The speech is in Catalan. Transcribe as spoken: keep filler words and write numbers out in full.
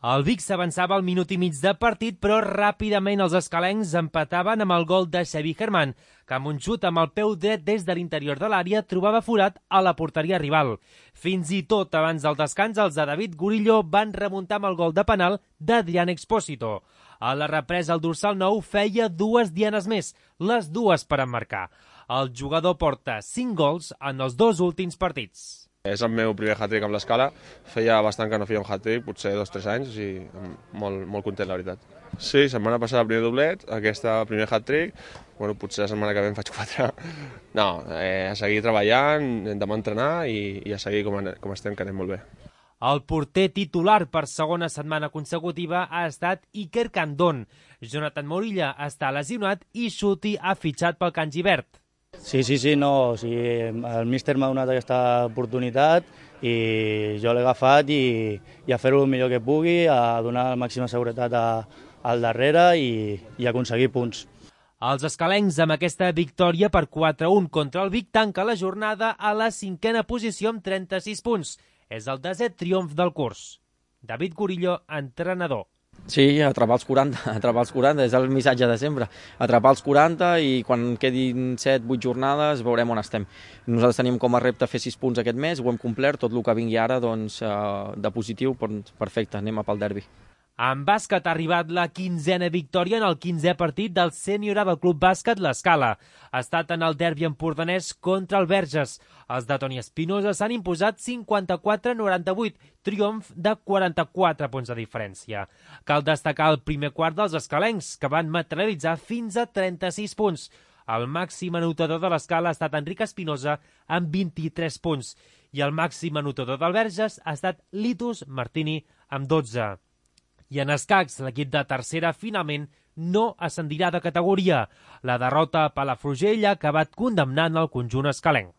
El Vic s'avançava al minut i mig de partit, però ràpidament els escalencs empataven amb el gol de Xavi Germán, que amb un xut amb el peu dret des de l'interior de l'àrea trobava forat a la porteria rival. Fins i tot abans del descans, els de David Gurillo van remuntar amb el gol de penal d'Adrián Expósito. A la represa, el dorsal nou feia dues dianes més, les dues per emmarcar. El jugador porta cinc gols en els dos últims partits. És el meu primer hat-trick amb l'Escala. Feia bastant que no feia un hat-trick, potser dos o tres anys, i molt, molt content, la veritat. Sí, setmana passada el primer doblet, aquesta primer hat-trick, bueno, potser la setmana que ve en faig quatre. No, eh, a seguir treballant, demà entrenar i, i a seguir com, com estem, que anem molt bé. El porter titular per segona setmana consecutiva ha estat Iker Candón. Jonathan Morilla està lesionat i Xuti ha fitxat pel Can Givert. Sí, sí, sí, no, o sigui, el míster m'ha donat aquesta oportunitat i jo l'he agafat i, i a fer-ho el millor que pugui, a donar la màxima seguretat a, al darrere i, i aconseguir punts. Els escalencs, amb aquesta victòria per quatre a un contra el Vic, tanca la jornada a la cinquena posició amb trenta-sis punts. És el desè triomf del curs. David Gurillo, entrenador. Sí, atrapar els quaranta, atrapar els quaranta, és el missatge de sempre. Atrapar els quaranta i quan quedin set vuit jornades veurem on estem. Nosaltres tenim com a repte fer sis punts aquest mes, ho hem complert, tot el que vingui ara doncs, de positiu, perfecte, anem a pel derbi. En bàsquet ha arribat la quinzena victòria en el quinzè partit del sènior del Club Bàsquet l'Escala. Ha estat en el derbi empordanès contra el Verges. Els de Toni Espinosa s'han imposat cinquanta-quatre a noranta-vuit, triomf de quaranta-quatre punts de diferència. Cal destacar el primer quart dels escalencs, que van materialitzar fins a trenta-sis punts. El màxim anotador de l'Escala ha estat Enric Espinosa amb vint-i-tres punts i el màxim anotador del Verges ha estat Litus Martini amb dotze. I en escacs, l'equip de tercera finalment no ascendirà de categoria. La derrota a Palafrugell ha acabat condemnant el conjunt escalenc.